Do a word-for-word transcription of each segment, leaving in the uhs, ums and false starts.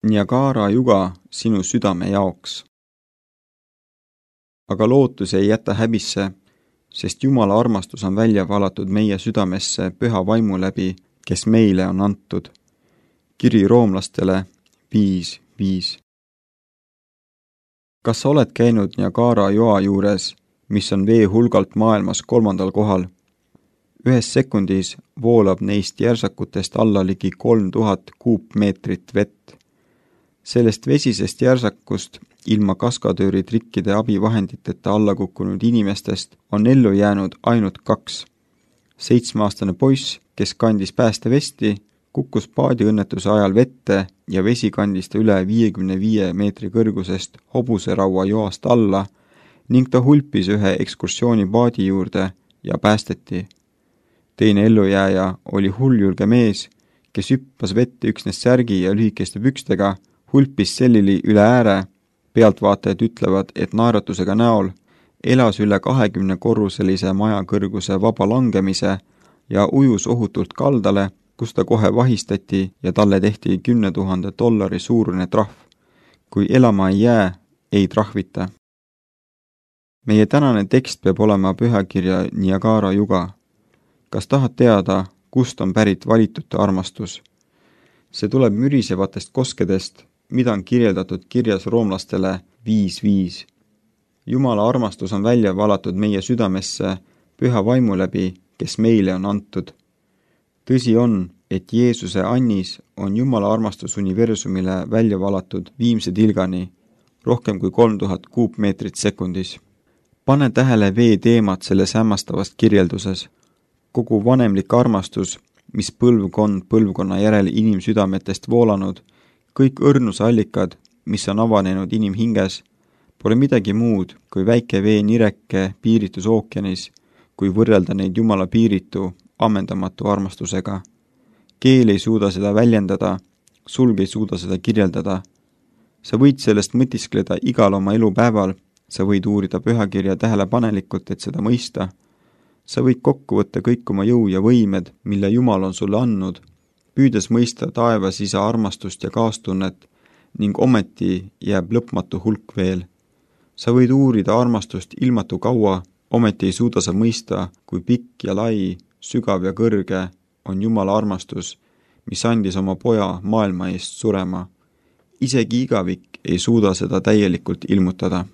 Niagara juga sinu südame jaoks. Aga lootus ei jäta häbisse, sest Jumala armastus on välja valatud meie südamesse püha vaimu läbi, kes meile on antud. Kiri roomlastele viis viis. Kas sa oled käinud Niagara joa juures, mis on vee hulgalt maailmas kolmandal kohal? Ühes sekundis voolab neist järsakutest alla ligi kolm tuhat kuupmeetrit vett. Sellest vesisest järsakust ilma kaskadööri trikkide abivahenditeta alla kukkunud inimestest on ellu jäänud ainult kaks. Seitsmeaastane poiss, kes kandis päästevesti, kukkus paadiõnnetuse ajal vette ja vesi kandis ta üle viiekümne viie meetri kõrgusest hobuseraua joast alla ning ta hulpis ühe ekskursioonipaadi juurde ja päästeti. Teine ellujääja oli hulljulge mees, kes hüppas vette üksnes särgi ja lühikeste pükstega, hulpis sellili üle ääre, pealtvaatajad ütlevad, et naeratusega näol elas üle kahekümne korruselise maja kõrguse vaba langemise ja ujus ohutult kaldale, kus ta kohe vahistati ja talle tehti kümne tuhande dollari suurune trahv. Kui elama ei jää, ei trahvita. Meie tänane tekst peab olema pühakirja Niagara juga. Kas tahad teada, kust on pärit valitute armastus? See tuleb mürisevatest koskedest, mida on kirjeldatud kirjas roomlastele viis viis. Jumala armastus on välja valatud meie südamesse püha vaimu läbi, kes meile on antud. Tõsi on, et Jeesuse annis on Jumala armastus universumile välja valatud viimse tilgani, rohkem kui kolm tuhat kuupmeetrit sekundis. Pane tähele vee teemat selles hämmastavast kirjelduses. Kogu vanemlik armastus, mis põlvkond põlvkonna järel inimsüdametest voolanud, kõik õrnuse allikad, mis on avanenud inimhinges, pole midagi muud kui väike vee nireke piiritus ookeanis, kui võrrelda neid Jumala piiritu, ammendamatu armastusega. Keel ei suuda seda väljendada, sulg ei suuda seda kirjeldada. Sa võid sellest mõtiskleda igal oma elupäeval, sa võid uurida pühakirja tähelepanelikult, et seda mõista. Sa võid kokku võtta kõik oma jõu ja võimed, mille Jumal on sulle andnud, püüdes mõista taevas isa armastust ja kaastunnet ning ometi jääb lõpmatu hulk veel. Sa võid uurida armastust ilmatu kaua, ometi ei suuda sa mõista, kui pikk ja lai, sügav ja kõrge on Jumala armastus, mis andis oma poja maailma eest surema. Isegi igavik ei suuda seda täielikult ilmutada.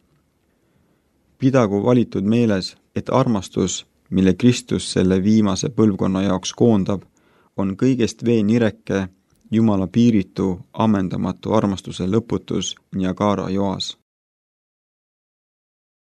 Pidagu valitud meeles, et armastus, mille Kristus selle viimase põlvkonna jaoks koondab, on kõigest vee nireke, Jumala piiritu, ammendamatu armastuse lõputus Niagara joas.